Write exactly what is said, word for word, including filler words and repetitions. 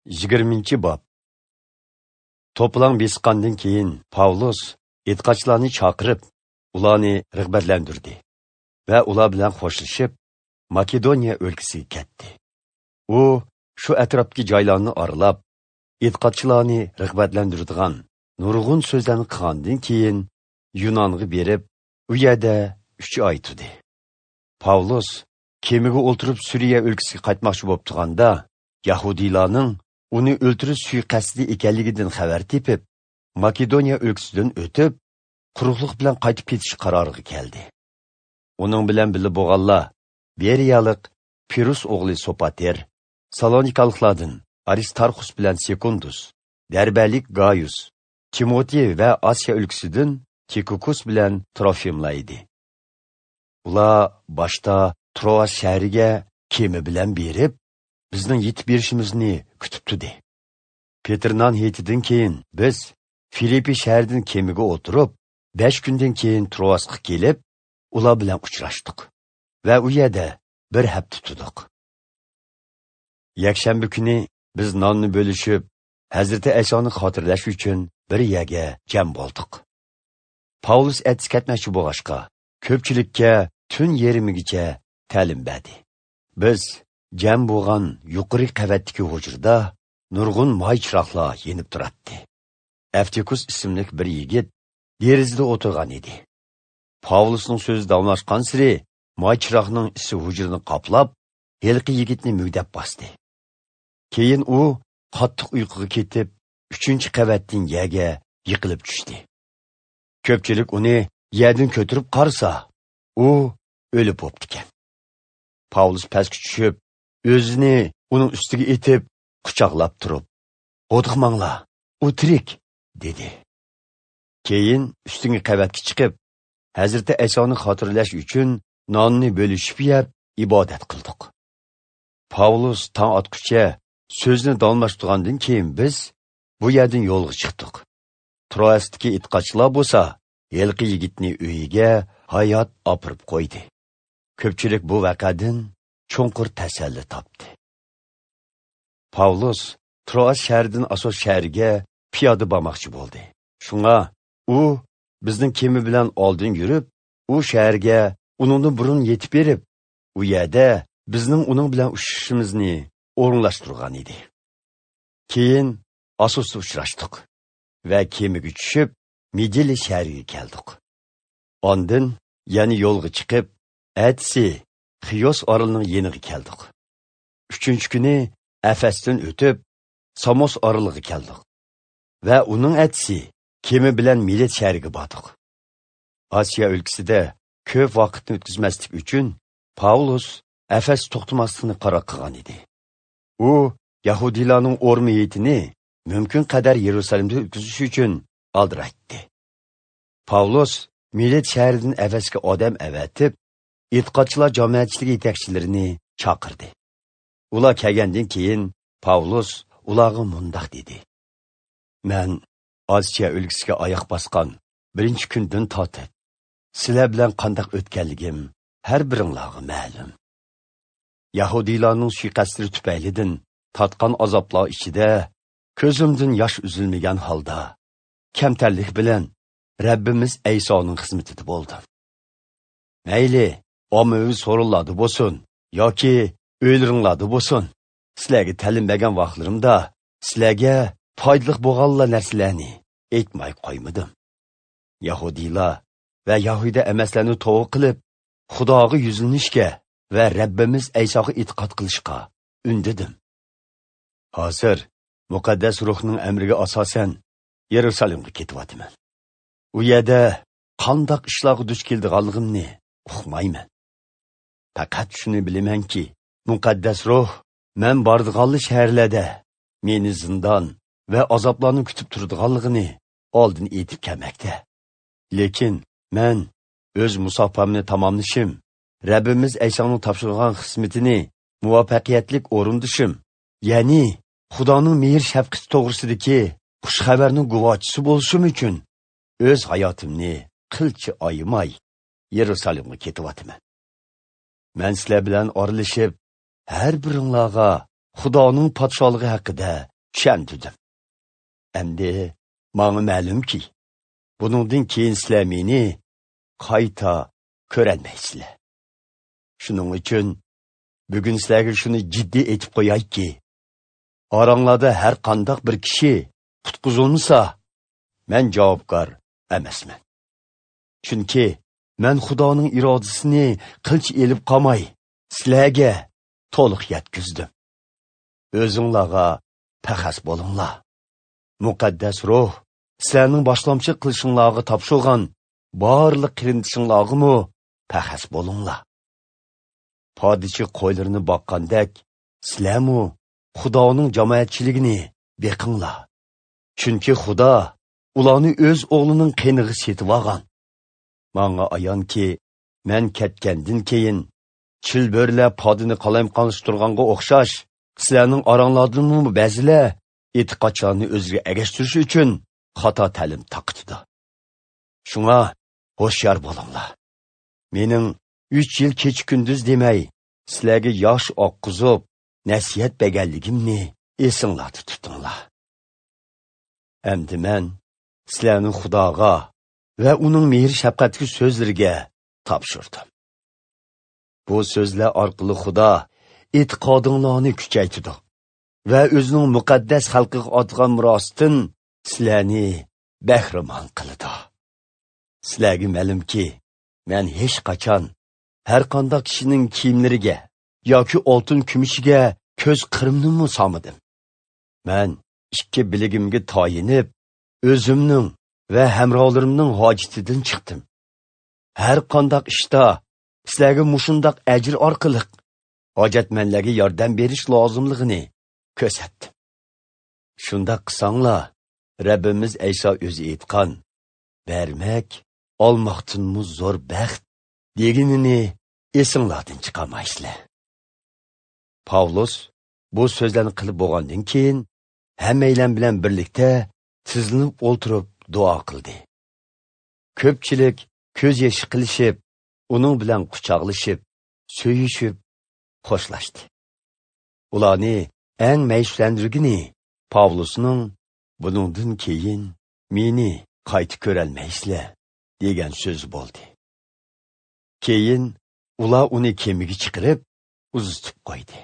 Yigirminchi bob. To'plang besqandan keyin Pavlus e'tiqodchilarni chaqirib, ularni rag'batlantirdi va ular bilan xo'shlashib Makedoniya o'lkasiga ketdi. U shu atrofdagi joylarni oralab, e'tiqodchilarni rag'batlantiradigan nurg'un so'zlarni qilgandan keyin Yunonga berib, u yerda uch oy turdi. Pavlus kemaga o'ltirib Suriya o'lkasiga qaytmoqchi bo'lib turganda, yahudiylarning uni o'ltirish suiqasdi ekanligidan xabar tepib, Makedoniya o'lkasidan o'tib, quruqliq bilan qaytib ketish qaroriga keldi. Uning bilan birga bo'lganlar Beriyalik Pirus o'g'li Sopater, Salonikaliklardan Aristarxus bilan Sekundus, Derbalik Gaius, Timotey va Osiyo o'lkasidan Tikukus bilan Trofimlar edi. Ular boshda Troas shahriga kema bilan berib, bizning yetib berishimizni kutib turdi. Petrnan heytidan keyin biz Filippi shahridan kemaga o'tirib, besh kundan keyin Troasga kelib, ular bilan uchrashdik va u yerda bir hafta turdik. Yakshanba kuni biz nonni bo'lishib, Hazrati Aysoni xotirlash uchun bir yerga jam bo'ldik. Pavlus atsi ketmoqchi bo'lg'achqa, ko'pchilikka tun yarmigacha ta'lim berdi. Biz jam bo'lgan yuqori qavatdagi hujrada nurg'un moy chiroqlar yenib turardi. Aftikus ismli bir yigit derazada o'tirgan edi. Pavlusning so'zi davomlashgan siri moy chiroqning isi hujrani qoplab, yilqi yigitni mugdab bosdi. Keyin u qattiq uyquga ketib, uchinchi qavatdan yerga yiqilib tushdi. Ko'pchilik uni yerdan ko'tarib qarasa, u o'lib bo'pti ekan. Pavlus pastga tushib, o'zini uning ustiga etib, quchoqlab turib, "Qo'rqmanglar, u tirik" dedi. Keyin ustingi qavatga chiqib, Hazrati Aysoni xotirlash uchun nonni bo'lishib yeb ibodat qildik. Pavlus tong otguncha so'zni davomlashtirgandan keyin biz bu yerdan yo'lga chiqdik. Troasdagi e'tiqodchilar bo'lsa, yilqi yigitni uyiga hayot opirib qo'ydi. Ko'pchilik bu voqeadan chunqur tasalli topdi. Pavlus Troas shahridan Asos shahriga piyoda bormoqchi bo'ldi. Shunga u bizning kema bilan oldin yurib, u shaharga uningdan burun yetib berib, u yerda bizning uning bilan uchrashishimizni o'rinlashtirgan edi. Keyin Asosda uchrashdik va kemaga tushib Midili shahriga keldik. Ondan yana yo'lga chiqib, atsi Xiyos orolining yeniga keldik. Uchinchi kuni Efesdan o'tib, Samos oroliga keldik va uning atsi kema bilan Milet shahriga bordik. Osiyo o'lkasida ko'p vaqtni o'tkazmaslik uchun Pavlus Efes to'xtamaslikni qaror qilgan edi. U yahudiylarning o'rmiyatini mumkin qadar Yerusalimda o'tkazish uchun oldiraytdi. Pavlus Milet shahridan Efesga odam avatib, e'tiqodchilar jamoatchiligi yetakchilarini chaqirdi. Ular kelgandan keyin Pavlus ularga mundoq dedi: "Men Osiyo o'lkasiga oyoq bosgan birinchi kundan tortib, sizlar bilan qandoq o'tganligim har biringlarga ma'lum. Yahudiylarning suiqasdlari tufaylidan tatgan azoblar ichida ko'zimdan yosh uzilmagan holda kamtarlik bilan Rabbimiz Aysoning xizmatida bo'ldim. Mayli, ommaviy so'rinlarda bo'lsin yoki o'ylaringlarda bo'lsin, sizlarga ta'lim bergan vaqtlarimda sizlarga foydali bo'lganlar narsalarni aytmay qo'ymadim. Yahudiylar va Yahuda emaslarni tavba qilib, Xudoga yuzlanishga va Rabbimiz Aysoga e'tiqod qilishga undadim. Hozir muqaddas ruhning amriga asosan Yerusalimga ketyapman. U yerda qandoq ishlarga duch keldiganligimni uqmayman. Faqat shuni bilamanki, muqaddas ruh men bordiganli shaharlarda meni zindon va azoblarni kutib turadiganligini oldin aytib kelmoqda. Lekin men o'z musofamni tamomlashim, Rabbimiz Aysoning topshirgan xizmatini muvaffaqiyatli o'rindishim, ya'ni Xudoning mehr shafqati to'g'risidagi xush xabarning guvohchisi bo'lishim uchun o'z hayotimni qilcha ayimay Yerusalimga ketyapman. Men sizlar bilan oralashib, har biringlarga Xudoning podshohligi haqida tushundirdim. Endi manga ma'lumki, buningdan keyin sizlar meni qayta ko'rolmaysizlar. Shuning uchun bugun sizlarga shuni jiddiy aytib qo'yayki, oranglarda har qanday bir kishi qutqizilmasa, men javobgar emasman. Chunki men Xudoning irodasini qilch elib qolmay, sizlarga to'liq yetkazdim. O'zinglarga paxas bo'linglar. Muqaddas ruh sizlarning boshlamchi qilishinglarga topshirgan barliq qilindishinglarga paxas bo'linglar. Podichi qo'ylarini boqqandek, sizlarmu Xudoning jamoatchiligini beqinglar. Chunki Xudo ularni o'z o'g'lining qenig'i setib olgan. Manga ayonki, men ketgandan keyin chilbirlar podini qalamqonlashtirganga o'xshash, sizlarning oranglardanmi ba'zilar e'tiqodchilarni o'ziga agashtirish uchun xato ta'lim taqitdi. Shunga ho'shyor bo'linglar. Mening uch yil kecha kunduz demay sizlarga yosh oqqizib nasihat berganligimni esinglarda tutinglar. Endi men sizlarni Xudoga va uning mehr shafqatli so'zlariga topshirdim. Bu so'zlar orqali Xudo e'tiqodinglarni kuchaytirdi va o'zining muqaddas xalqiga otgan mirosdan sizlarni bahramon qildi. Sizlarga ma'lumki, men hech qachon har qanday kishining kiyimlariga yoki oltin kumushiga ko'z qirimnimi solmadim. Men ikki biligimga tayinib, o'zimning va hamrohlarimning hojatidan chiqdim. Har qanday ishda sizlarga mushundaq ajr orqali hojatmandlarga yordam berish lozimligini ko'rsatdim. Shundaq qilsanglar, Rabbimiz Ayso o'zi aytgan, bermak olmoqdanmi zo'r baxt deganini esinglardan chiqarmaysizlar. Pavlus bu so'zlarni qilib bo'lgandan keyin hammaylar bilan birlikda tizlanib o'ltirib duo qildi. Ko'pchilik ko'z yoshi qilishib, uning bilan quchoqlashib, suyishib xo'shlashdi. Ularni eng ma'yuslantirgani Pavlusning buningdan keyin meni qayta ko'rolmaysizlar degan so'zi bo'ldi. Keyin ular uni kemaga chiqarib uzatib qo'ydi.